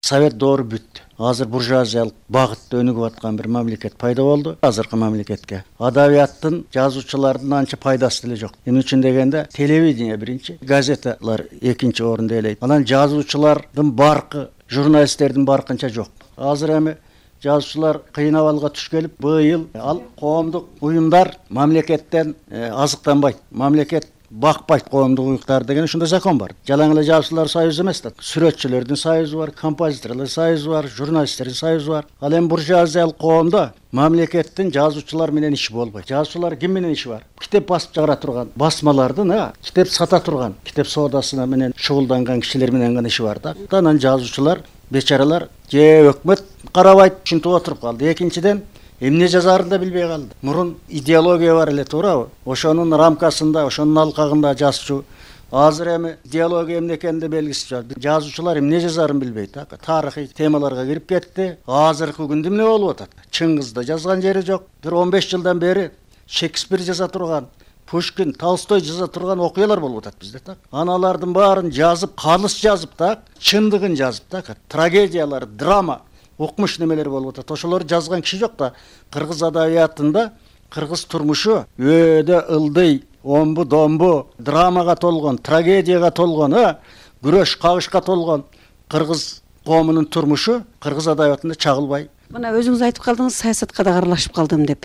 Совет доору бүттү. Азыр буржуазиялык багытта өнүгүп аткан бир мамлекет пайда болду. Азыркы мамлекетке адабияттын, жазуучулардын анча пайдасы деле жок. Эмне үчүн дегенде, телевидение биринчи, газеталар экинчи орунду ээлейт. Анан жазуучулардын баркы, журналисттердин баркынча жок. Азыр эми жазуучулар кыйын абалга түшкелип, быйыл ал коомдук уюмдар мамлекеттен азыктанбайт. Мамлекет бакпайт коомдук уюктар деген ушундай закон бар. Жалаң эле жазуучулар союзу эмес да. Сүрөтчүлөрдүн союзу бар, композиторлор союзу бар, журналисттердин союзу бар. Ал эми буржуазиялык коомдо мамлекеттин жазуучулар менен иши болбойт. Жазуучулар ким менен иши бар? Китеп басып чыгара турган басмалардын, китеп сата турган, китеп соодасына менен шугулданган кишилер менен гана иши бар да. Анан жазуучулар, бечаралар же өкмөт карабайт, ушинтип отуруп калды. Экинчиден, эмне жазаарын да билбей калды. Мурун идеология бар эле, туурабы? Ошонун рамкасында, ошонун алкагында жазчу. Азыр эми идеология эмне экенин белгисиз жок. Жазуучулар эмне жазаарын билбейт. Тарыхый темаларга кирип кетти. Азыркы күндө эмне болуп атат? Чыңгызда жазган жери жок. Бир 15 жылдан бери Шекспир жаза турган, Пушкин, Толстой жаза турган окуялар болуп атат бизде так. Аналардын баарын жазып, калыс жазып так, чындыгын жазып так. Трагедиялар, драма, окмуш немелер болуп атат. Ошолор жазган киши жок да. Кыргыз адабиятында кыргыз турмушу өдө ылдый, омбу домбу, драмага толгон, трагедияга толгон, күрөш, кагышка толгон кыргыз коомунун турмушу кыргыз адабиятында чагылбай. Мына өзүңүз айтып калдыңыз, саясатка да аралашып калдым деп.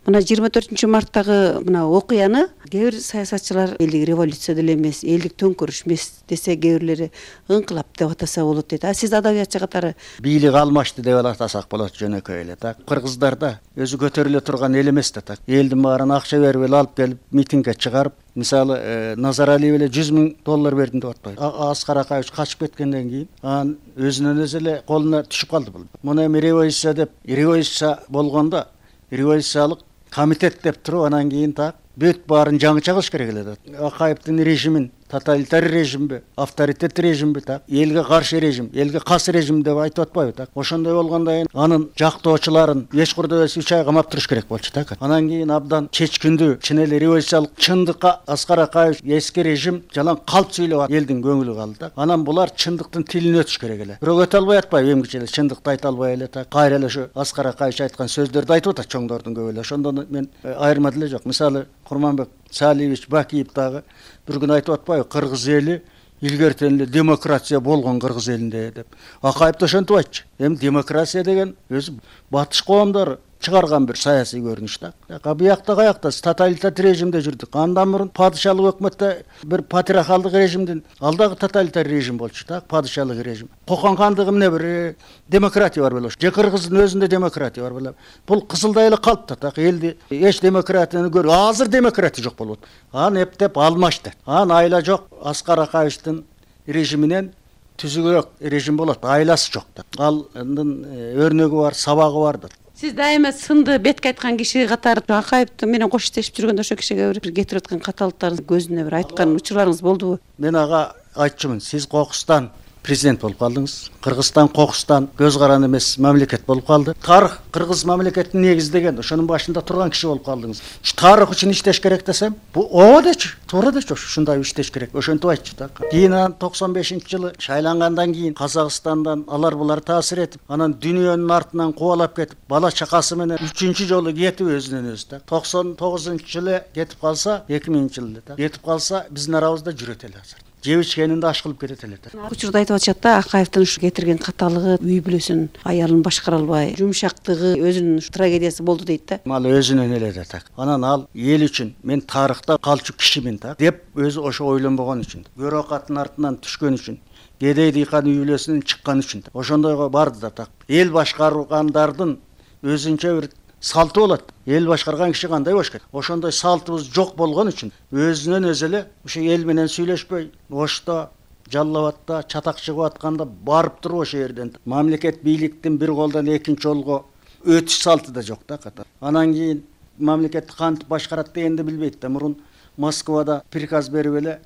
Мына 24-марттагы мына окуяны кээ бир саясатчылар элдик революция деле эмес, элдик төңкөрүш эмес десе, кээ бирлери ыңкылап деп атаса болот дейт. Сиз адабиятчы катары бийлик алмашты деп атасак болот жөнөкөй эле так. Кыргыздарда өзү көтөрүлө турган эл эмес да так. Элдин баарын акча берип эле алып келип митингге чыгарып, мисалы Назаралиев эле $100 000 бердим деп атпайбы. Аскар Акаевич качып кеткенден кийин анын өзүнөн өзү эле колуна түшүп калды бул. Муну эми революция деп, революция болгондо революциялык комитет деп туруп, анан кийин так бүт баарын жаңыча кылыш керек эле. Акаевдин режимин тоталитарий режимби, авторитет режимби так, элге каршы режим, элге кас режим деп айтып атпайбы так. Ошондой болгондон кийин анын жактоочуларын эч курда эмес 3 ай камап туруш керек болчу так. Анан кийин абдан чечкиндүү, чын эле революциялык чындыкка Аскар Акаевич эски режим жалаң калп сүйлөп элдин көңүлү калды так. Анан булар чындыктын тилине өтүш керек эле. Бирок өтө албай атпайбы, эмгиче эле чындыкты айта албай эле так. Кайра эле ошо Аскар Акаевич айткан сөздөрдү айтып атат чоңдордун көбү эле. Ошондон мен айырма деле жок. Мисалы Курманбек Салиевич Бакиев дагы бир күн айтып атпайбы, кыргыз эли илгертен эле демократия болгон кыргыз элинде деп. Акаев да ошентип айтчу. Эми демократия деген өзү батыш коомдору чыгарган бир саясий көрүнүш да. Биякта каякта тоталитарий режимде жүрдүк. Андан мурун падышалык өкмөттө бир патриархалдык режимдин, ал дагы тоталитарий режим болчу так, падышалык режим. Кокон хандыгы эмне бир демократия бар беле. Же кыргыздын өзүндө демократия бар беле. Бул кызылдай эле калпты так. Элди эч демократияны көрүп, азыр демократия жок болот. Аны эптеп алмашты. Айла жок. Аскар Акаевичтин режиминен түзүгүрөөк режим болот. Айласы жок да. Алдын өрнөгү бар, сабагы бар да. Сиз дайыма сынды бетке айткан киши катары Акаев менен кош иштешип жүргөндө ошо кишиге бир кетирип аткан каталыктарыңыз көзүнө бир айткан учурларыңыз болдубу? Мен ага айтчумун, сиз кокустан президент болуп калдыңыз. Кыргызстан кокустан көз каран эмес мамлекет болуп калды. Тарых кыргыз мамлекетин негиздеген, ошонун башында турган киши болуп калдыңыз. Тарых үчүн иштеш керек десем, бу ооба дечи, туура дечи, ушундай иштеш керек. Ошентип айтчу да. Кийин 95-жылы шайлангандан кийин Казакстандан алар булар таасир этип, анан дүйнөнүн артынан кубалап кетип, бала чакасы менен 3-чү жолу кетип өзүнөн өзү да. 99-жылы кетип калса, 2000-жылы да. Кетип калса биздин арабызда жүрөт эле азыр. Жеп ичкенинде аш кылып кетет эле. Учурда айтып атышат да, Акаевдин ушу кетирген каталыгы үй бүлөсүн, аялын башкара албай, жумшактыгы өзүнүн трагедиясы болду дейт да. Ал өзүнөн эле да так. Анан ал эл үчүн мен тарыхта калчу кишимин так деп өзү ошо ойлонбогон үчүн, бюрокаттын артынан түшкөн үчүн, кедей дыйкан үй бүлөсүнөн чыккан үчүн ошондойго барды да так. Эл башкаргандардын өзүнчө бир салты болот. Эл башкарган киши кандай болуш керек? Ошондой салтыбыз жок болгон үчүн өзүнөн өзү эле ошо эл менен сүйлөшпөй, Ошто, Жалал Абадта чатак чыгып атканда барып туруп ошо жерден мамлекет бийликтин бир колдон экинчи колго өтүш салты да жок да ката. Анан кийин мамлекетти кантип башкарат дегенди билбейт да. Мурун Москвада приказ берип эле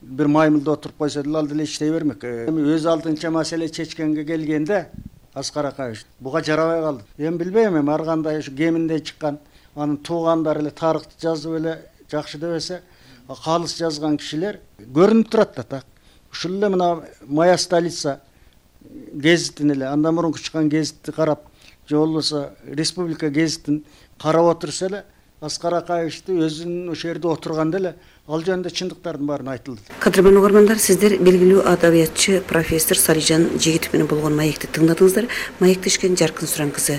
бир маймылда отуруп койсо деле ал деле иштей бермек. Эми өз алдынча маселе чечкенге келгенде Аскар Акаевич буга жарабай калды. Эми билбейм, эми ар кандай ушу кеминде чыккан анын туугандары эле тарыхты жазып эле жакшы дебесе, калыс жазган кишилер көрүнүп турат да так. Ушул эле мына моя столица гезитин эле андан мурунку чыккан гезитти карап же болбосо республика гезитин карап отурса эле Аскар Акаевичти өзүнүн ошол жерде отурганда эле ал жөнүндө чындыктардын баарын айтылды. Кадырман угармандар, сиздер белгилүү адабиятчы профессор Салижан Жигитов менен болгон маекти тыңдадыңыздар. Маекти ишкен Жаркын Суран кызы.